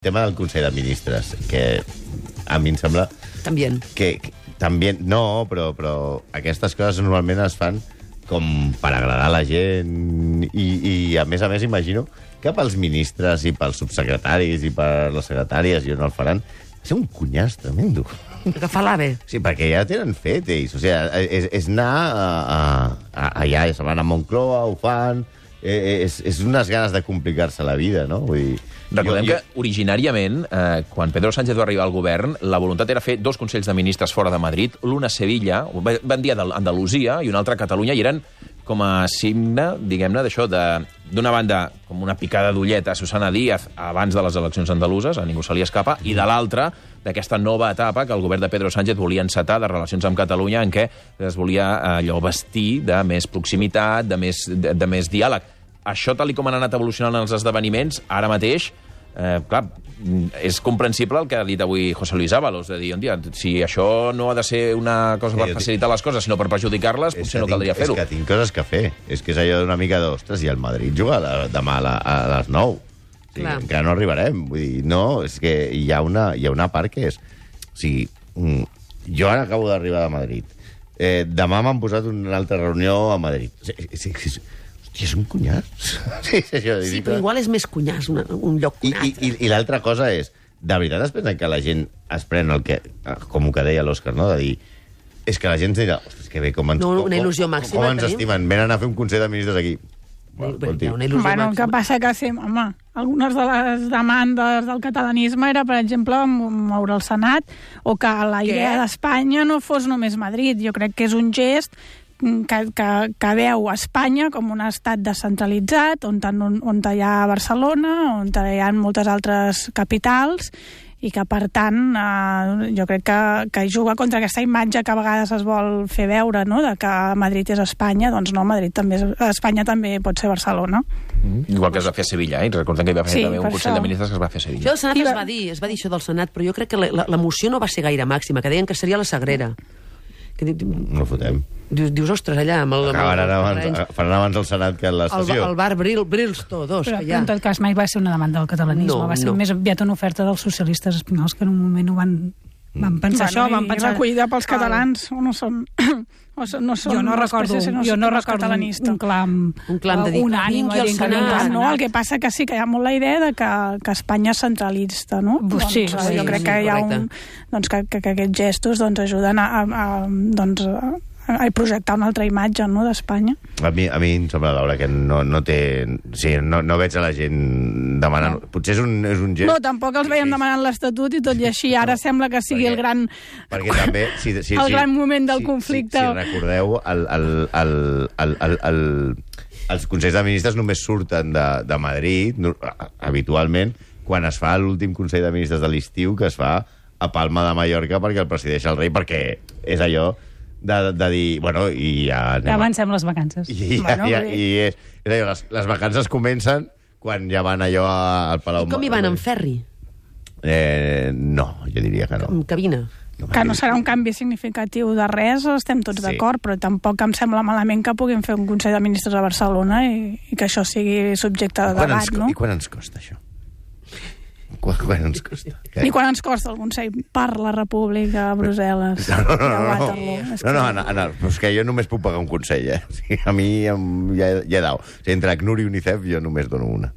tema del Consell de Ministres, que a mi em sembla... També. També, no, però aquestes coses normalment es fan com per agradar a la gent i a més, imagino que pels ministres i pels subsecretaris i per les secretàries i on el faran, va ser un cunyàs tremendo. Agafar l'AVE. Sí, perquè ja tenen fet ells. O sigui, és anar allà, se van a Moncloa, ho fan... És unes ganes de complicar-se la vida, no? Vull dir... Recordem que, originàriament, quan Pedro Sánchez va arribar al govern, la voluntat era fer 2 Consells de Ministres fora de Madrid, l'un a Sevilla, van dir a Andalusia, i un altre a Catalunya, i eren com a signe, diguem-ne, d'això, d'una banda, com una picada d'ullet a Susana Díaz abans de les eleccions andaluses, a ningú se li escapa, i de l'altra, d'aquesta nova etapa que el govern de Pedro Sánchez volia encetar de relacions amb Catalunya, en què es volia allò vestir de més proximitat, de més diàleg. Això, tal com han anat evolucionant els esdeveniments, ara mateix, clar, és comprensible el que ha dit avui José Luis Ábalos, de dir, si això no ha de ser una cosa per facilitar les coses, sinó per perjudicar-les, potser no caldria fer-ho. És que tinc coses que fer. És que és allò d'una mica d'ostres, i el Madrid juga demà a les 9. Sí, encara no arribarem. Vull dir, no, és que hi ha una part que és... O sigui, jo ara acabo d'arribar de Madrid. Demà m'han posat una altra reunió a Madrid. Hòstia, és un cunyàs. Sí, però igual és més cunyàs un lloc que un altre. I l'altra cosa és, de veritat es pensa que la gent es pren el que... Com ho que deia l'Òscar, no? De dir... És que la gent dirà, ostres, que bé, com ens... No, una il·lusió màxima. Com ens estimen. Venen a fer un Consell de Ministres aquí. Bueno, el que passa que algunes de les demandes del catalanisme era, per exemple, moure el Senat o que la idea d'Espanya no fos només Madrid. Jo crec que és un gest que veu Espanya com un estat descentralitzat, on hi ha Barcelona, on hi ha moltes altres capitals, i que, per tant, jo crec que juga contra aquesta imatge que a vegades es vol fer veure, no?, de que Madrid és Espanya. Doncs no, Espanya també pot ser Barcelona. Igual que es va fer a Sevilla, recordem que hi va fer també un Consell de Ministres que es va fer a Sevilla. Això del Senat es va dir això del Senat, però jo crec que l'emoció no va ser gaire màxima, que deien que seria la Sagrera. No fotem. Dius, ostres, allà... Faran abans el Senat que la sessió. El bar Brilsto 2. Però en tot cas mai va ser una demanda del catalanisme, va ser més aviat una oferta dels socialistes espanyols que en un moment ho van pensar això, van pensar... recollida pels catalans, o no són... Jo no recordo un clam de dir, unànime. No, el que passa que sí que hi ha molt la idea de que Espanya és centralista, no? Sí, jo crec que hi ha que aquests gestos ajuden a projectar una altra imatge, no?, d'Espanya. A mi em sembla, Laura, que no té... Sí, no veig a la gent demanant... Potser és un gest... No, tampoc els veiem demanant l'Estatut i tot i així ara sembla que sigui el gran... Perquè també... el gran moment del conflicte. Si recordeu, els Consells de Ministres només surten de Madrid, habitualment, quan es fa l'últim Consell de Ministres de l'estiu, que es fa a Palma de Mallorca perquè el presideix el rei, perquè és allò... de dir, bueno, i ja... Avancem les vacances. I és allò, les vacances comencen quan ja van allò al Palau... I com hi van, en ferri? No, jo diria que no. En cabina? Que no serà un canvi significatiu de res, estem tots d'acord, però tampoc em sembla malament que puguin fer un Consell de Ministres a Barcelona i que això sigui subjecte de debat, no? I quan ens costa això? Quan ens costa? I quan ens costa el Consell per la República a Brussel·les? No, és que jo només puc pagar un Consell, O sigui, a mi ja he dau. O sigui, entre ACNUR i UNICEF jo només dono una.